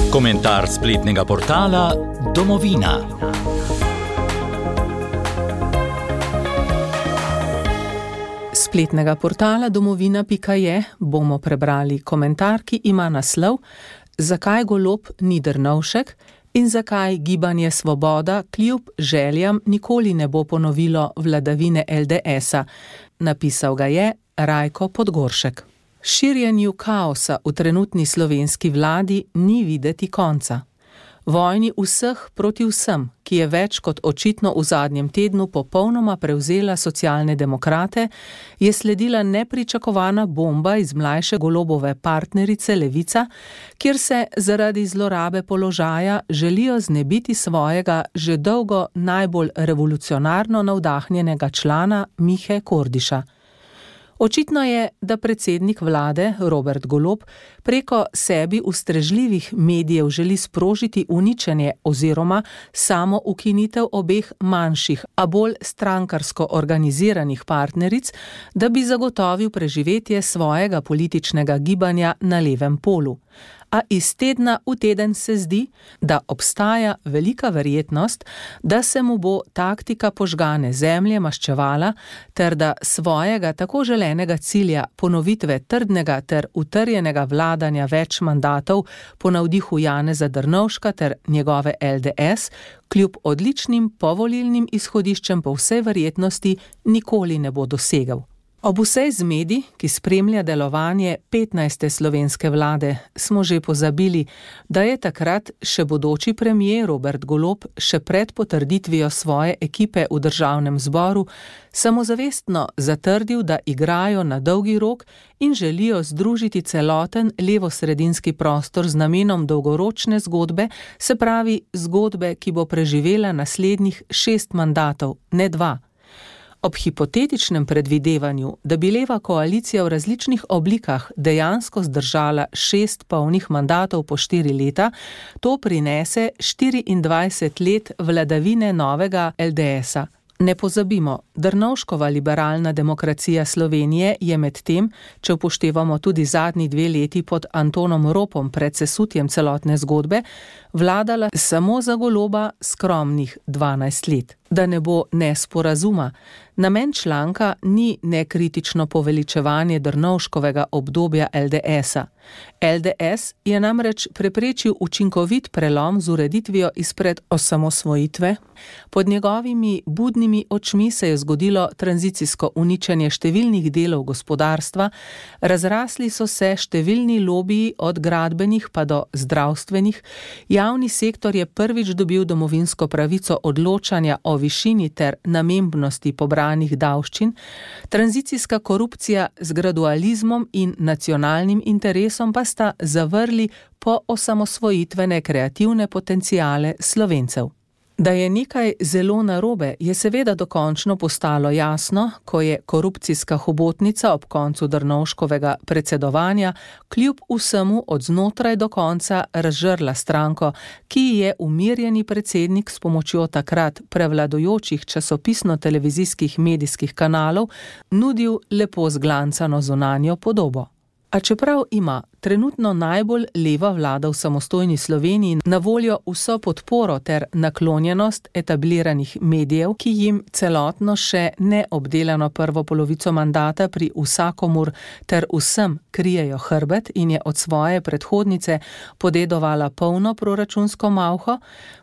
Komentar spletnega portala Domovina. Spletnega portala domovina.je bomo prebrali komentar, ki ima naslov Zakaj Golob ni Drnovšek in zakaj Gibanje Svoboda kljub željam nikoli ne bo ponovilo vladavine LDS-a. Napisal ga je Rajko Podgoršek. Širjenju kaosa v trenutni slovenski vladi ni videti konca. Vojni vseh proti vsem, ki je več kot očitno v zadnjem tednu popolnoma prevzela socialne demokrate, je sledila nepričakovana bomba iz mlajše Golobove partnerice Levica, kjer se zaradi zlorabe položaja želijo znebiti svojega že dolgo najbolj revolucionarno navdahnjenega člana Mihe Kordiša. Očitno je, da predsednik vlade Robert Golob preko sebi ustrežljivih medijev želi sprožiti uničenje oziroma samo ukinitev obeh manjših, a bolj strankarsko organiziranih partneric, da bi zagotovil preživetje svojega političnega gibanja na levem polu. A iz tedna v teden se zdi, da obstaja velika verjetnost, da se mu bo taktika požgane zemlje maščevala, ter da svojega tako želenega cilja ponovitve trdnega ter utrjenega vladanja več mandatov po navdihu Janeza Drnovška ter njegove LDS, kljub odličnim povolilnim izhodiščem po vsej verjetnosti nikoli ne bo dosegel. Ob vsej zmedi, ki spremlja delovanje 15. slovenske vlade, smo že pozabili, da je takrat še bodoči premier Robert Golob še pred potrditvijo svoje ekipe v državnem zboru samozavestno zatrdil, da igrajo na dolgi rok in želijo združiti celoten levosredinski prostor z namenom dolgoročne zgodbe, se pravi zgodbe, ki bo preživela naslednjih 6 mandatov, ne 2. Ob hipotetičnem predvidevanju, da bi leva koalicija v različnih oblikah dejansko zdržala 6 polnih mandatov po 4 leta, to prinese 24 let vladavine novega LDS-a. Ne pozabimo, Drnovškova liberalna demokracija Slovenije je med tem, če upoštevamo tudi zadnji 2 leti pod Antonom Ropom pred sesutjem celotne zgodbe, vladala samo za Goloba skromnih 12 let. Da ne bo nesporazuma, namen članka ni nekritično poveličevanje Drnovškovega obdobja LDS-a. LDS je namreč preprečil učinkovit prelom z ureditvijo izpred osamosvojitve. Pod njegovimi budnimi očmi se je zgodilo tranzicijsko uničenje številnih delov gospodarstva, razrasli so se številni lobiji od gradbenih pa do zdravstvenih, javni sektor je prvič dobil domovinsko pravico odločanja o višini ter namembnosti pobranih davščin, tranzicijska korupcija z gradualizmom in nacionalnim interesom pa sta zavrli po osamosvojitvene kreativne potenciale Slovencev. Da je nekaj zelo narobe, je seveda dokončno postalo jasno, ko je korupcijska hobotnica ob koncu Drnovškovega predsedovanja kljub vsemu od znotraj do konca razžrla stranko, ki je umirjeni predsednik s pomočjo takrat prevladujočih časopisno-televizijskih medijskih kanalov nudil lepo zglancano zunanjo podobo. A čeprav ima trenutno najbolj leva vlada v samostojni Sloveniji na voljo vso podporo ter naklonjenost etabliranih medijev, ki jim celotno še neobdelano prvo polovico mandata pri vsakomur ter vsem krijejo hrbet in je od svoje predhodnice podedovala polno proračunsko malho,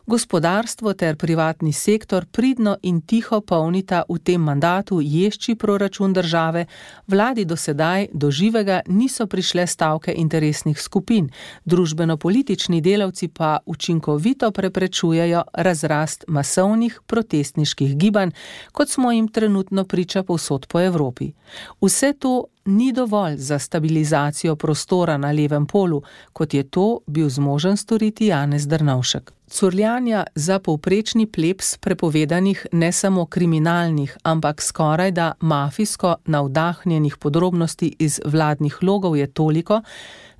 gospodarstvo ter privatni sektor pridno in tiho polnita v tem mandatu ješči proračun države, vladi do sedaj do živega niso prišle stavke interesnih skupin, družbeno-politični delavci pa učinkovito preprečujejo razrast masovnih protestniških gibanj, kot smo jim trenutno priča povsod po Evropi. Vse to ni dovolj za stabilizacijo prostora na levem polu, kot je to bil zmožen storiti Janez Drnovšek. Curljanja za povprečni plebs prepovedanih ne samo kriminalnih, ampak skorajda mafijsko navdahnjenih podrobnosti iz vladnih logov je toliko,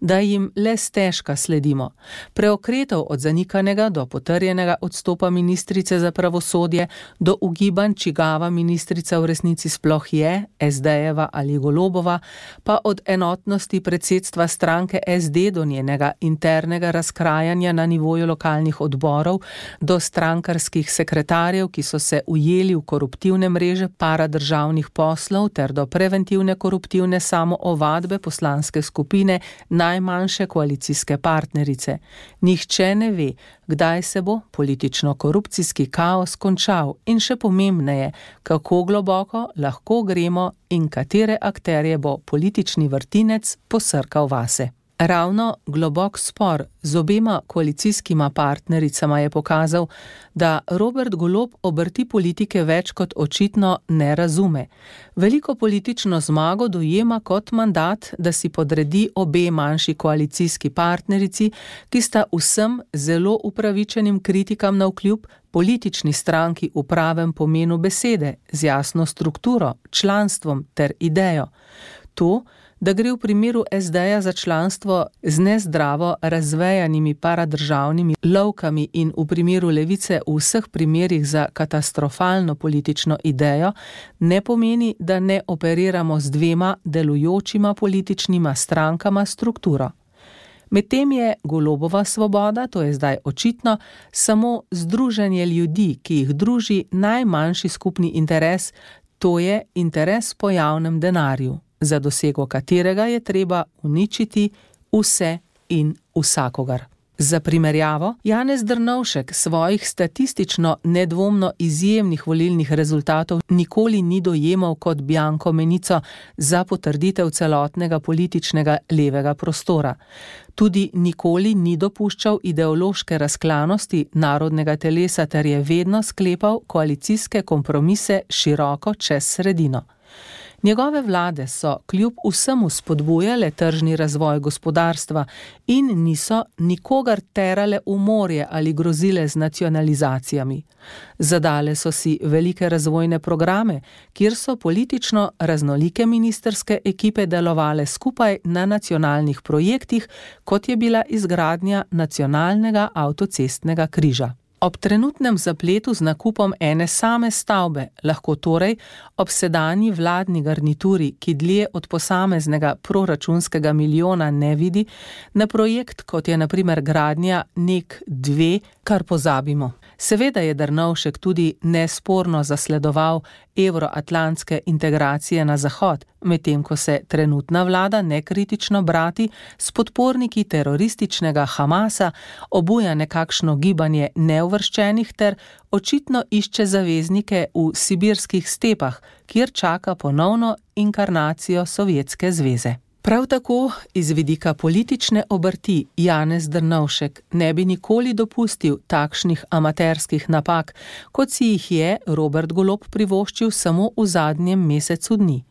da jim le stežka sledimo. Preokretov od zanikanega do potrjenega odstopa ministrice za pravosodje, do ugibanj, čigava ministrica v resnici sploh je, SD-jeva ali Golobova, pa od enotnosti predsedstva stranke SD do njenega internega razkrajanja na nivoju lokalnih odborov, do strankarskih sekretarjev, ki so se ujeli v koruptivne mreže paradržavnih poslov ter do preventivne koruptivne samoovadbe poslanske skupine najmanjše koalicijske partnerice. Nihče ne ve, kdaj se bo politično-korupcijski kaos končal in še pomembneje, kako globoko lahko gremo in katere akterje bo politični vrtinec posrkal vase. Ravno globok spor z obema koalicijskima partnericama je pokazal, da Robert Golob obrti politike več kot očitno ne razume. Veliko politično zmago dojema kot mandat, da si podredi obe manjši koalicijski partnerici, ki sta vsem zelo upravičenim kritikam navkljub politični stranki v pravem pomenu besede, z jasno strukturo, članstvom ter idejo. To, da gre v primeru SD-ja za članstvo z nezdravo razvejanimi paradržavnimi lovkami in v primeru Levice v vseh primerih za katastrofalno politično idejo, ne pomeni, da ne operiramo z dvema delujočima političnima strankama strukturo. Medtem je Golobova svoboda, to je zdaj očitno, samo združenje ljudi, ki jih druži najmanjši skupni interes, to je interes po javnem denarju, za dosego katerega je treba uničiti vse in vsakogar. Za primerjavo, Janez Drnovšek svojih statistično nedvomno izjemnih volilnih rezultatov nikoli ni dojemal kot bianko menico za potrditev celotnega političnega levega prostora. Tudi nikoli ni dopuščal ideološke razklanosti narodnega telesa ter je vedno sklepal koalicijske kompromise široko čez sredino. Njegove vlade so kljub vsemu spodbujale tržni razvoj gospodarstva in niso nikogar terale v morje ali grozile z nacionalizacijami. Zadale so si velike razvojne programe, kjer so politično raznolike ministrske ekipe delovale skupaj na nacionalnih projektih, kot je bila izgradnja nacionalnega avtocestnega križa. Ob trenutnem zapletu z nakupom ene same stavbe lahko torej ob sedanji vladni garnituri, ki dlje od posameznega proračunskega milijona ne vidi, na projekt, kot je na primer gradnja NEK 2, kar pozabimo. Seveda je Drnovšek tudi nesporno zasledoval evroatlantske integracije na zahod, medtem ko se trenutna vlada nekritično brati s podporniki terorističnega Hamasa, obuja nekakšno gibanje neuvrščenih ter očitno išče zaveznike v sibirskih stepah, kjer čaka ponovno inkarnacijo Sovjetske zveze. Prav tako iz vidika politične obrti Janez Drnovšek ne bi nikoli dopustil takšnih amaterskih napak, kot si jih je Robert Golob privoščil samo v zadnjem mesecu dni.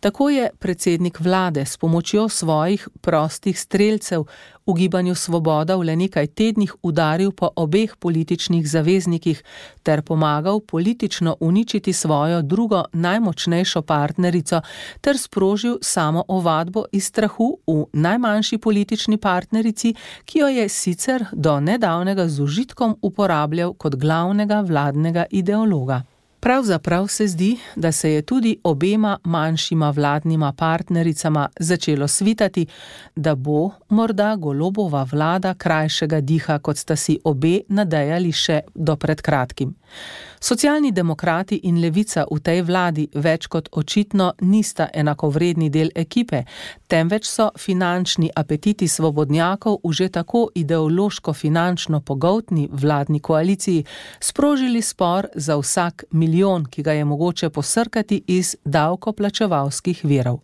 Tako je predsednik vlade s pomočjo svojih prostih strelcev v gibanju Svoboda v le nekaj tednih udaril po obeh političnih zaveznikih ter pomagal politično uničiti svojo drugo najmočnejšo partnerico ter sprožil samo ovadbo iz strahu v najmanjši politični partnerici, ki jo je sicer do nedavnega z užitkom uporabljal kot glavnega vladnega ideologa. Pravzaprav se zdi, da se je tudi obema manjšima vladnima partnericama začelo svitati, da bo morda Golobova vlada krajšega diha, kot sta si obe nadejali še do pred kratkim. Socialni demokrati in Levica v tej vladi več kot očitno nista enakovredni del ekipe, temveč so finančni apetiti svobodnjakov v že tako ideološko-finančno pogoltni vladni koaliciji sprožili spor za vsak milijon, ki ga je mogoče posrkati iz davkoplačevalskih virov.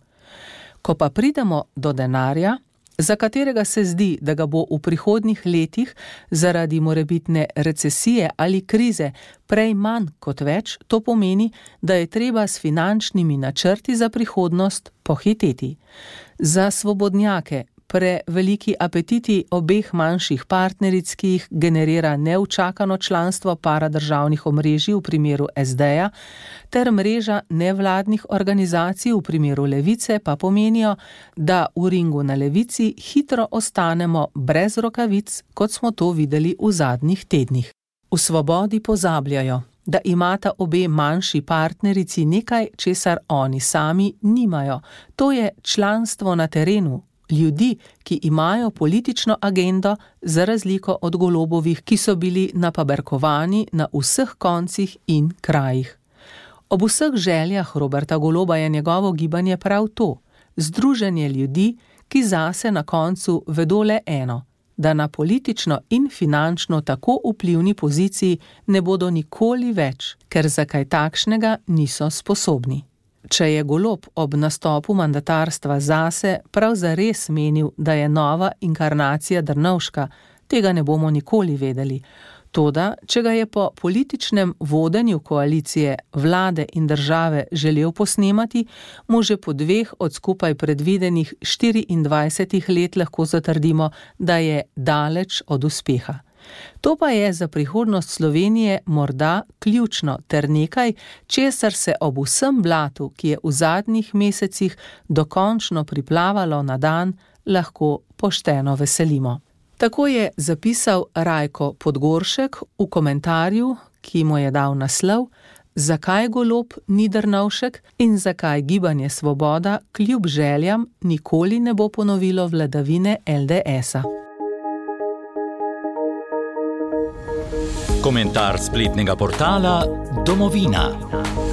Ko pa pridemo do denarja, za katerega se zdi, da ga bo v prihodnjih letih zaradi morebitne recesije ali krize prej manj kot več, to pomeni, da je treba s finančnimi načrti za prihodnost pohiteti. Za svobodnjake preveliki apetiti obeh manjših partneric, ki jih generira neučakano članstvo paradržavnih omrežij v primeru SD-ja, ter mreža nevladnih organizacij v primeru Levice pa pomenijo, da v ringu na Levici hitro ostanemo brez rokavic, kot smo to videli v zadnjih tednih. V Svobodi pozabljajo, da imata obe manjši partnerici nekaj, česar oni sami nimajo. To je članstvo na terenu, ljudi, ki imajo politično agendo, za razliko od Golobovih, ki so bili napaberkovani na vseh koncih in krajih. Ob vseh željah Roberta Goloba je njegovo gibanje prav to, združenje ljudi, ki zase na koncu vedo le eno, da na politično in finančno tako vplivni poziciji ne bodo nikoli več, ker za kaj takšnega niso sposobni. Če je Golob ob nastopu mandatarstva zase prav zares menil, da je nova inkarnacija Drnovška, tega ne bomo nikoli vedeli. Toda, če ga je po političnem vodenju koalicije, vlade in države želel posnemati, mu že po 2 od skupaj predvidenih 24 let lahko zatrdimo, da je daleč od uspeha. To pa je za prihodnost Slovenije morda ključno ter nekaj, česar se ob vsem blatu, ki je v zadnjih mesecih dokončno priplavalo na dan, lahko pošteno veselimo. Tako je zapisal Rajko Podgoršek v komentarju, ki mu je dal naslov Zakaj Golob ni Drnovšek in zakaj Gibanje Svoboda kljub željam nikoli ne bo ponovilo vladavine LDS-a. Komentar spletnega portala Domovina.